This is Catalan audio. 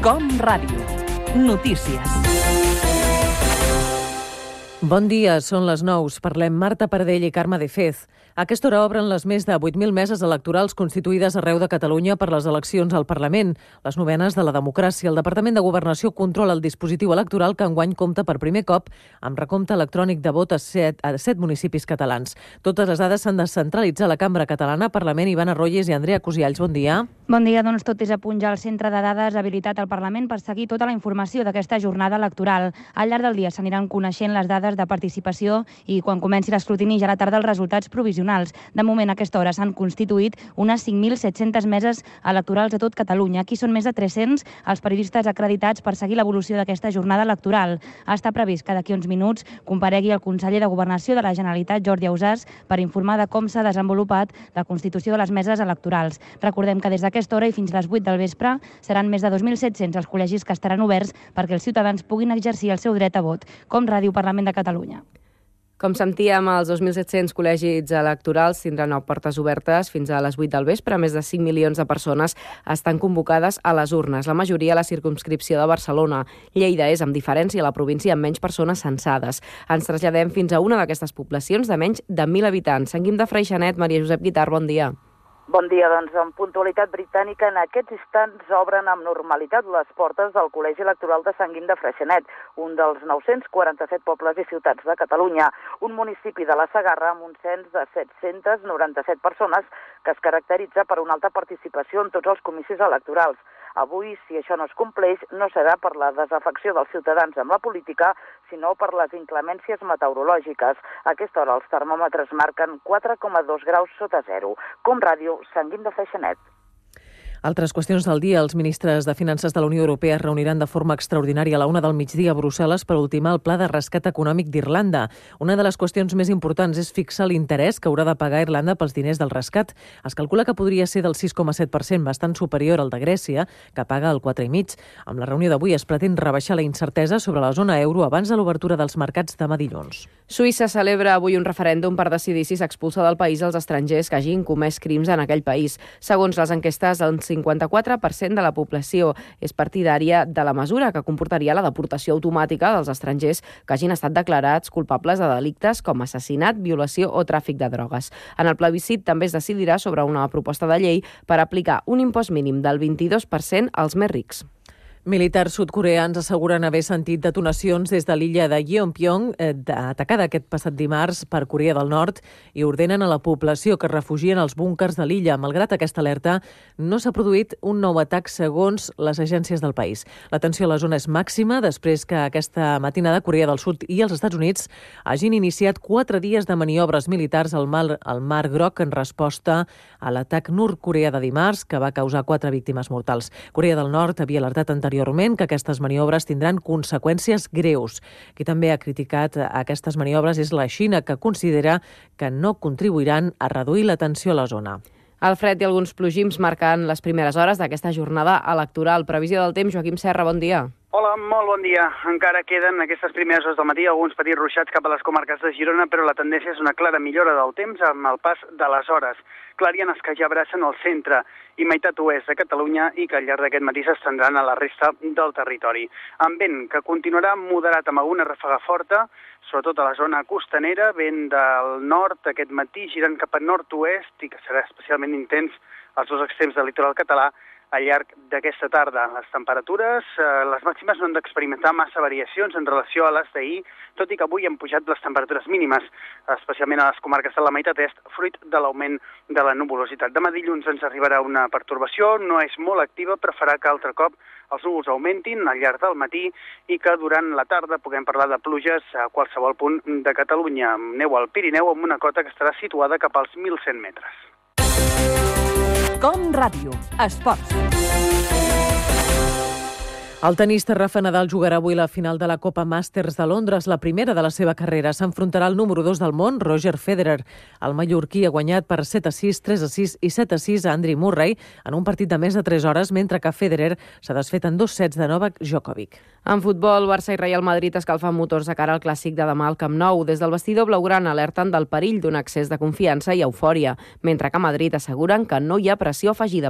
Com Ràdio. Notícies. Bon dia, són les 9. Parlem Marta Pardell i Carme de Fez. A aquesta hora obren les més de 8.000 meses electorals constituïdes arreu de Catalunya per les eleccions al Parlament. Les novenes de la democràcia. El Departament de Governació controla el dispositiu electoral que enguany compta per primer cop amb recompte electrònic de vot a 7 municipis catalans. Totes les dades s'han de centralitzar a la Cambra Catalana, Parlament. Ivana Royes i Andrea Cosialls, bon dia. Bon dia, doncs tot és a punt ja al centre de dades habilitat al Parlament per seguir tota la informació d'aquesta jornada electoral. Al llarg del dia s'aniran coneixent les dades de participació i quan comenci l'escrutini ja a la tarda els resultats provisionals. De moment, a aquesta hora s'han constituït unes 5.700 meses electorals a tot Catalunya. Aquí són més de 300 els periodistes acreditats per seguir l'evolució d'aquesta jornada electoral. Està previst que d'aquí uns minuts comparegui el conseller de Governació de la Generalitat, Jordi Ausàs, per informar de com s'ha desenvolupat la constitució de les meses electorals. Recordem que des d'aquesta hora i fins a les 8 del vespre seran més de 2.700 els col·legis que estaran oberts perquè els ciutadans puguin exercir el seu dret a vot. Com Ràdio, Parlament de Catalunya. Com sentíem, els 2.700 col·legis electorals tindran portes obertes fins a les 8 del vespre. Més de 5 milions de persones estan convocades a les urnes, la majoria a la circumscripció de Barcelona. Lleida és, amb diferència, la província amb menys persones censades. Ens traslladem fins a una d'aquestes poblacions de menys de 1.000 habitants. Sant Guim de Freixenet, Maria Josep Guitart, bon dia. Bon dia, doncs amb puntualitat britànica en aquests instants obren amb normalitat les portes del Col·legi Electoral de Sant Guim de Freixenet, un dels 947 pobles i ciutats de Catalunya, un municipi de la Segarra amb un cens de 797 persones que es caracteritza per una alta participació en tots els comicis electorals. Avui, si això no es compleix, no serà per la desafecció dels ciutadans amb la política, sinó per les inclemències meteorològiques. A aquesta hora els termòmetres marquen 4,2 graus sota zero. Com Ràdio, Sant Guim de Freixenet. Altres qüestions del dia. Els ministres de Finances de la Unió Europea es reuniran de forma extraordinària a la 1 del migdia a Brussel·les per ultimar el pla de rescat econòmic d'Irlanda. Una de les qüestions més importants és fixar l'interès que haurà de pagar Irlanda pels diners del rescat. Es calcula que podria ser del 6,7%, bastant superior al de Grècia, que paga el 4,5%. Amb la reunió d'avui es pretén rebaixar la incertesa sobre la zona euro abans de l'obertura dels mercats demà dilluns. Suïssa celebra avui un referèndum per decidir si s'expulsa del país els estrangers que hagin comès crims en aquell país. Segons les enquestes, el 54% de la població és partidària de la mesura que comportaria la deportació automàtica dels estrangers que hagin estat declarats culpables de delictes com assassinat, violació o tràfic de drogues. En el plebiscit també es decidirà sobre una proposta de llei per aplicar un impost mínim del 22% als més rics. Militars sud-coreans asseguren haver sentit detonacions des de l'illa de Yeonpyong, atacada aquest passat dimarts per Corea del Nord, i ordenen a la població que es refugien als búnkers de l'illa. Malgrat aquesta alerta, no s'ha produït un nou atac segons les agències del país. La tensió a la zona és màxima després que aquesta matinada Corea del Sud i els Estats Units hagin iniciat 4 dies de maniobres militars al Mar Groc en resposta a l'atac nord-coreà de dimarts, que va causar 4 víctimes mortals. Corea del Nord havia alertat anteriorment que aquestes maniobres tindran conseqüències greus. Qui també ha criticat aquestes maniobres és la Xina, que considera que no contribuiran a reduir la tensió a la zona. El fred i alguns plogims marquen les primeres hores d'aquesta jornada electoral. Previsió del temps, Joaquim Serra, bon dia. Hola, molt bon dia. Encara queden aquestes primeres hores del matí alguns petits ruixats cap a les comarques de Girona, però la tendència és una clara millora del temps amb el pas de les hores. Clarianes que ja abracen el centre i meitat oest de Catalunya i que al llarg d'aquest matí s'estendran a la resta del territori. Amb vent que continuarà moderat amb alguna ràfega forta, sobretot a la zona costanera, vent del nord aquest matí girant cap a nord-oest i que serà especialment intens als dos extrems del litoral català al llarg d'aquesta tarda. Les temperatures, les màximes no han d'experimentar massa variacions en relació a les d'ahir, tot i que avui han pujat les temperatures mínimes, especialment a les comarques de la meitat est, fruit de l'augment de la nuvolositat. Demà dilluns ens arribarà una pertorbació, no és molt activa, però farà que altre cop els núvols augmentin al llarg del matí i que durant la tarda puguem parlar de pluges a qualsevol punt de Catalunya. Neu al Pirineu amb una cota que estarà situada cap als 1.100 metres. Com Ràdio. Esports. El tenista Rafa Nadal jugarà avui la final de la Copa Masters de Londres, la primera de la seva carrera. S'enfrontarà al número 2 del món, Roger Federer. El mallorquí ha guanyat per 7-6, 3-6 i 7-6 a Andy Murray en un partit de més de 3 hores, mentre que Federer s'ha desfet en 2 sets de Novak Djokovic. En futbol, Barça i Real Madrid escalfen motors de cara al clàssic de demà al Camp Nou. Des del vestidor blaugrana alerten del perill d'un excés de confiança i eufòria, mentre que a Madrid asseguren que no hi ha pressió afegida per